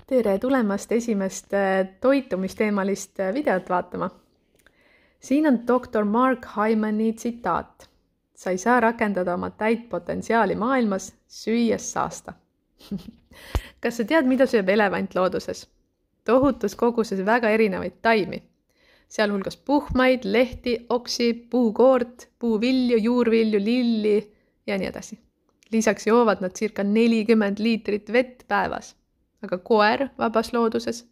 Tere tulemast esimest toitumisteemalist videot vaatama. Siin on doktor Mark Hyman'i tsitaat. Sa ei saa rakendada oma täit potentsiaali maailmas, süües saasta. Kas sa tead, mida sööb elevant looduses? Tohutus koguses väga erinevaid taimi. Sealhulgas puhmaid, lehti, oksi, puukoort, puuvilju, juurvilju, lilli ja nii edasi. Lisaks joovad nad circa 40 liitrit vett päevas. Aga koer vabas looduses,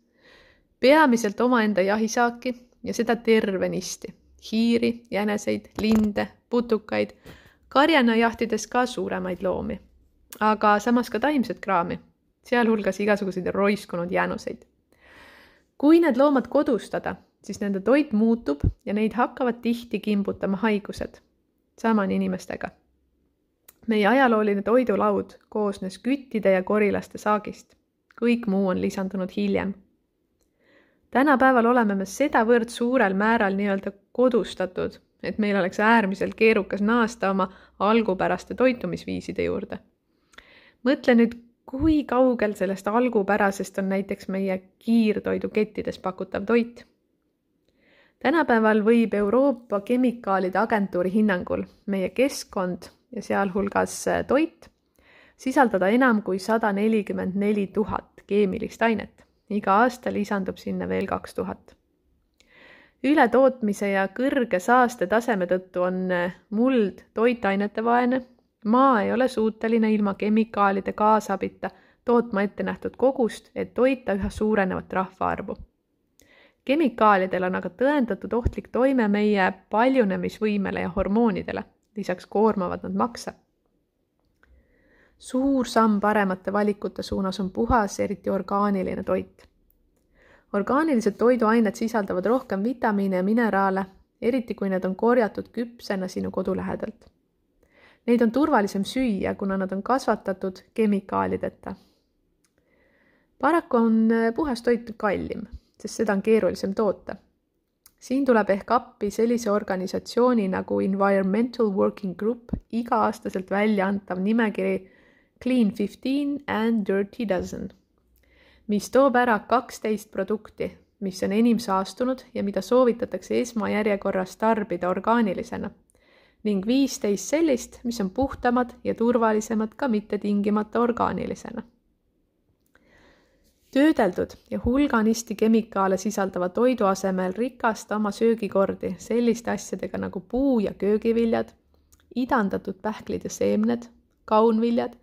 peamiselt omaenda jahisaaki ja seda tervenisti, hiiri, jäneseid, linde, putukaid, karjana jahtides ka suuremaid loomi, aga samas ka taimset kraami, sealhulgas igasuguseid roiskunud jänuseid. Kui need loomad kodustada, siis nende toit muutub ja neid hakkavad tihti kimbutama haigused. Sama on inimestega. Meie ajalooline toidulaud koosnes küttide ja korilaste saagist. Kõik muu on lisandunud hiljem. Tänapäeval oleme me sedavõrd suurel määral nii-öelda kodustatud, et meil oleks äärmiselt keerukas naasta oma algupäraste toitumisviiside juurde. Mõtle nüüd, kui kaugel sellest algupärasest on näiteks meie kiirtoidukettides pakutav toit. Tänapäeval võib Euroopa Kemikaalide Agentuuri hinnangul meie keskkond ja sealhulgas toit sisaldada enam kui 144 000 keemilist ainet. Iga aasta lisandub sinna veel 2000. Ületootmise ja kõrge saaste taseme tõttu on muld toitainete vaene. Maa ei ole suuteline ilma kemikaalide kaasabita tootma ette nähtud kogust, et toita üha suurenevat rahvaarvu. Kemikaalidel on aga tõendatud ohtlik toime meie paljunemisvõimele ja hormoonidele. Lisaks koormavad nad makse. Suur samm paremate valikute suunas on puhas, eriti orgaaniline toit. Orgaanilised toiduained sisaldavad rohkem vitamiine ja mineraale, eriti kui need on korjatud küpsena sinu kodu lähedalt. Neid on turvalisem süüa, kuna nad on kasvatatud kemikaalideta. Paraku on puhas toit kallim, sest seda on keerulisem toota. Siin tuleb ehk appi sellise organisatsiooni nagu Environmental Working Group iga-aastaselt välja antav nimekiri Clean 15 and Dirty Dozen, mis toob ära 12 produkti, mis on enim saastunud ja mida soovitatakse esmajärjekorras tarbida orgaanilisena, ning 15 sellist, mis on puhtamad ja turvalisemad ka mitte tingimata orgaanilisena. Töödeldud ja hulganisti kemikaale sisaldava toidu asemel rikasta oma söögikordi selliste asjadega nagu puu- ja köögiviljad, idandatud pähklid ja seemned, kaunviljad,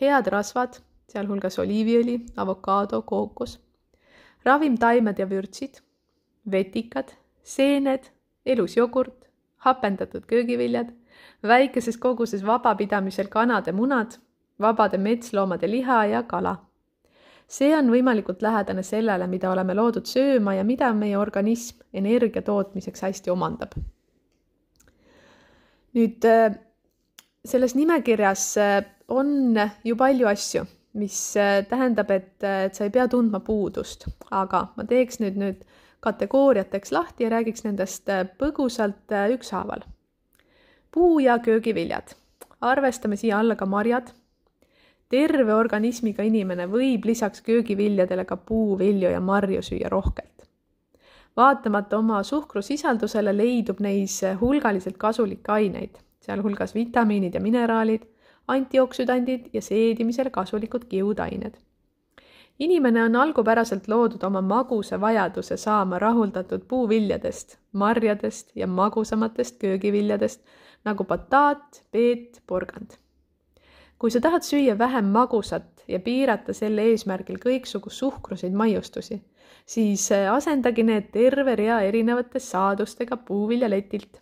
head rasvad, sealhulgas oliiviõli, avokaado, kookos, ravimtaimed ja vürtsid, vetikad, seened, elus jogurt, hapendatud köögiviljad, väikeses koguses vabapidamisel kanade munad, vabade metsloomade liha ja kala. See on võimalikult lähedane sellele, mida oleme loodud sööma ja mida meie organism energia tootmiseks hästi omandab. Nüüd selles nimekirjas on ju palju asju, mis tähendab, et sa ei pea tundma puudust, aga ma teeks nüüd kategooriateks lahti ja räägiks nendest põgusalt ükshaaval. Puu- ja köögiviljad. Arvestame siia alla ka marjad. Terve organismiga inimene võib lisaks köögiviljadele ka puuvilju ja marju süüa rohkelt. Vaatamata oma suhkrusisaldusele leidub neis hulgaliselt kasulikke aineid, sealhulgas vitamiinid ja mineraalid, antioksüdandid ja seedimisel kasulikud kiudained. Inimene on algupäraselt loodud oma magusa vajaduse saama rahuldatud puuviljadest, marjadest ja magusamatest köögiviljadest nagu bataat, peet, porgand. Kui sa tahad süüa vähem magusat ja piirata selle eesmärgil kõiksugu suhkruseid maiustusi, siis asendagi need terve rea erinevate saadustega puuviljaletilt.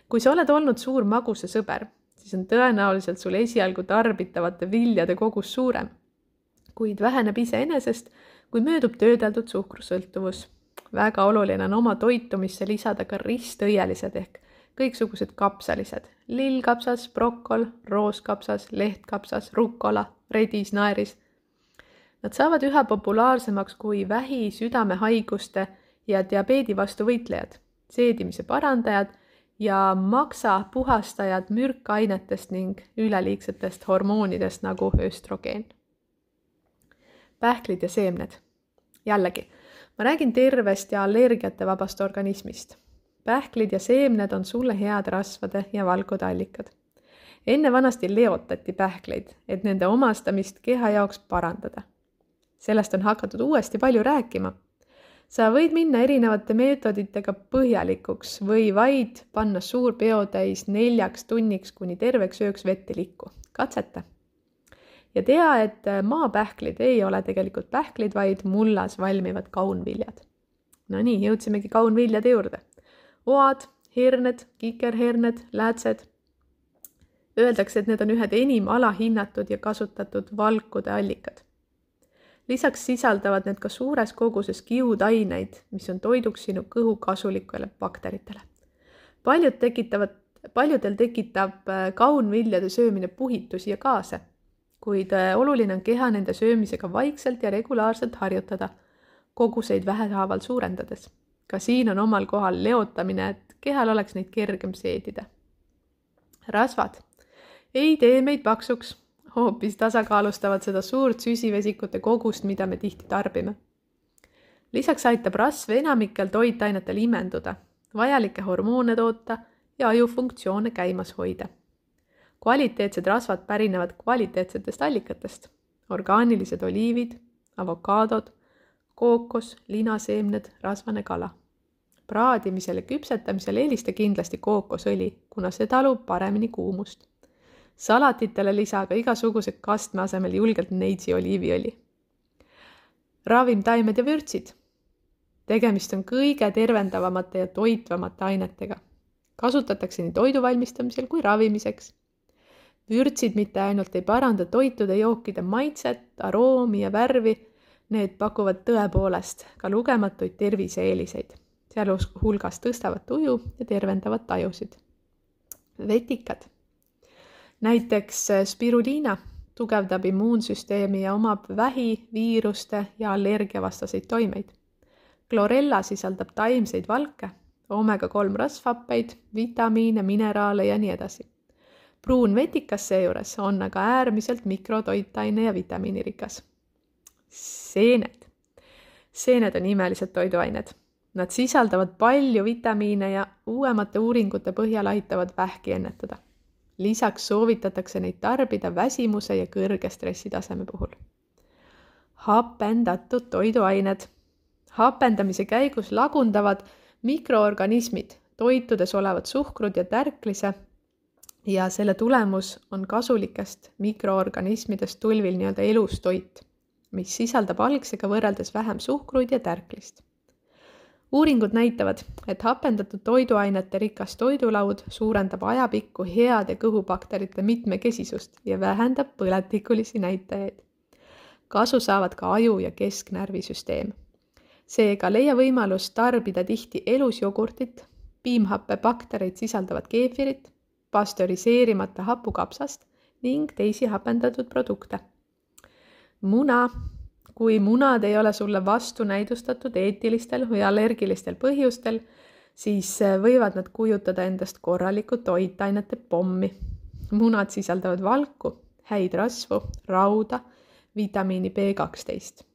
Kui sa oled olnud suur maguse sõber, siis on tõenäoliselt sul esialgu tarbitavate viljade kogus suurem, kuid väheneb iseenesest, kui möödub töödeldud suhkrusõltuvus. Väga oluline on oma toitumisse lisada ka ristõielised ehk kõiksugused kapsalised, lillkapsas, brokkol, rooskapsas, lehtkapsas, rukkola, redis, naeris. Nad saavad üha populaarsemaks kui vähi, südamehaiguste ja diabeedi vastu võitlejad, seedimise parandajad ja maksa puhastajad mürkainetest ning üleliigsetest hormoonidest nagu östrogeen. Pähklid ja seemned. Jällegi, ma räägin tervest ja allergiate vabast organismist. Pähklid ja seemned on sulle head rasvade ja valkude allikad. Enne vanasti leotati pähkleid, et nende omastamist keha jaoks parandada. Sellest on hakatud uuesti palju rääkima. Sa võid minna erinevate meetoditega põhjalikuks või vaid panna suur peotäis 4 tunniks kuni terveks ööks vett ei liku. Katseta. Ja tea, et maapähklid ei ole tegelikult pähklid, vaid mullas valmivad kaunviljad. No nii, jõudsimegi kaunviljade juurde. Oad, herned, kikerherned, läätsed. Öeldakse, et need on ühed enim alahinnatud ja kasutatud valkude allikad. Lisaks sisaldavad need ka suures koguses kiudaineid, mis on toiduks sinu kõhu kasulikele bakteritele. Paljudel tekitab kaunviljade söömine puhitusi ja gaase, kuid oluline on keha nende söömisega vaikselt ja regulaarselt harjutada, koguseid vähehaaval suurendades. Ka siin on omal kohal leotamine, et kehal oleks neid kergem seedida. Rasvad ei tee meid paksuks, hoopis tasakaalustavad seda suurt süsivesikute kogust, mida me tihti tarbime. Lisaks aitab rasv enamikel toitainetel imenduda, vajalikke hormoone toota ja ajufunktsioone käimas hoida. Kvaliteetsed rasvad pärinevad kvaliteetsetest allikatest. Orgaanilised oliivid, avokaadod, kookos, linaseemned, rasvane kala. Praadimisel ja küpsetamisel eelista kindlasti kookosõli, kuna see talub paremini kuumust. Salatitele lisa ka igasuguse kastme asemel julgelt neitsi oliiviõli. Ravimtaimed ja vürtsid. Tegemist on kõige tervendavamate ja toitvamate ainetega. Kasutatakse nii toidu valmistamisel kui ravimiseks. Vürtsid mitte ainult ei paranda toitude jookide maitset, aroomi ja värvi, need pakuvad tõepoolest ka lugematuid terviseeeliseid. Sealhulgas tõstavad tuju ja tervendavad tajusid. Vetikad. Näiteks spiruliina tugevdab immuunsüsteemi ja omab vähi, viiruste ja allergiavastaseid toimeid. Chlorella sisaldab taimseid valke, omega-3 rasvhappeid, vitamiine, mineraale ja nii edasi. Pruun vetikas seejuures on aga äärmiselt mikrotoitaine ja vitamiinirikas. Seened. Seened on imelised toiduained. Nad sisaldavad palju vitamiine ja uuemate uuringute põhjal aitavad vähki ennetada. Lisaks soovitatakse neid tarbida väsimuse ja kõrge stressitaseme puhul. Hapendatud toiduained. Hapendamise käigus lagundavad mikroorganismid toitudes olevad suhkrud ja tärklise ja selle tulemus on kasulikest mikroorganismidest tulvil nii-öelda elustoit, mis sisaldab algsega võrreldes vähem suhkruid ja tärklist. Uuringud näitavad, et hapendatud toiduainete rikas toidulaud suurendab ajapikku heade kõhubakterite mitmekesisust ja vähendab põletikulisi näitajaid. Kasu saavad ka aju- ja kesknärvisüsteem. Seega leia võimalus tarbida tihti elusjogurtit, piimhappebaktereid sisaldavat keefirit, pastöriseerimata hapukapsast ning teisi hapendatud produkte. Muna. Kui munad ei ole sulle vastunäidustatud eetilistel või allergilistel põhjustel, siis võivad nad kujutada endast korralikku toitainete pommi. Munad sisaldavad valku, häid rasvu, rauda, vitamiini B12.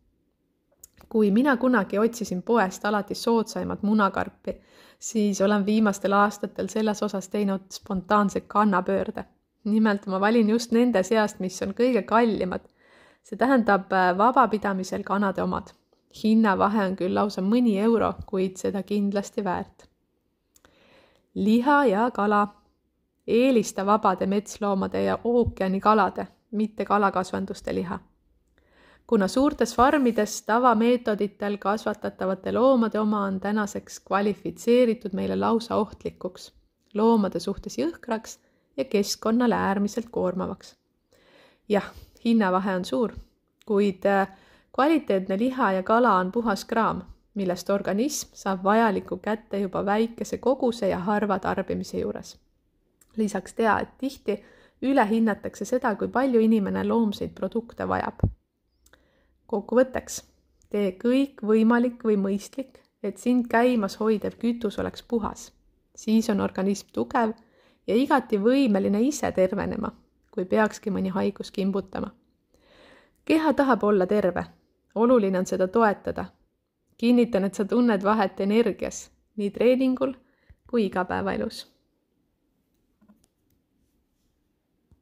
Kui mina kunagi otsisin poest alati soodsaimat munakarpi, siis olen viimastel aastatel selles osas teinud spontaanse kannapöörde. Nimelt ma valin just nende seast, mis on kõige kallimad. See tähendab vabapidamisel kanade omad. Hinnavahe on küll lausa mõni euro, kuid seda kindlasti väärt. Liha ja kala. Eelista vabade metsloomade ja ookeanikalade, mitte kalakasvanduste liha. Kuna suurtes farmides tavameetoditel kasvatatavate loomade oma on tänaseks kvalifitseeritud meile lausa ohtlikuks, loomade suhtes jõhkraks ja keskkonnale äärmiselt koormavaks. Jah, hinnavahe on suur, kuid kvaliteetne liha ja kala on puhas kraam, millest organism saab vajaliku kätte juba väikese koguse ja harva tarbimise juures. Lisaks tea, et tihti ülehinnatakse seda, kui palju inimene loomseid produkte vajab. Kokkuvõtteks, tee kõik võimalik või mõistlik, et sind käimas hoidev kütus oleks puhas. Siis on organism tugev ja igati võimeline ise tervenema, kui peakski mõni haigus kimbutama. Keha tahab olla terve oluline on seda toetada. Kinnitan, et sa tunned vahet energias, nii treeningul kui igapäevaelus.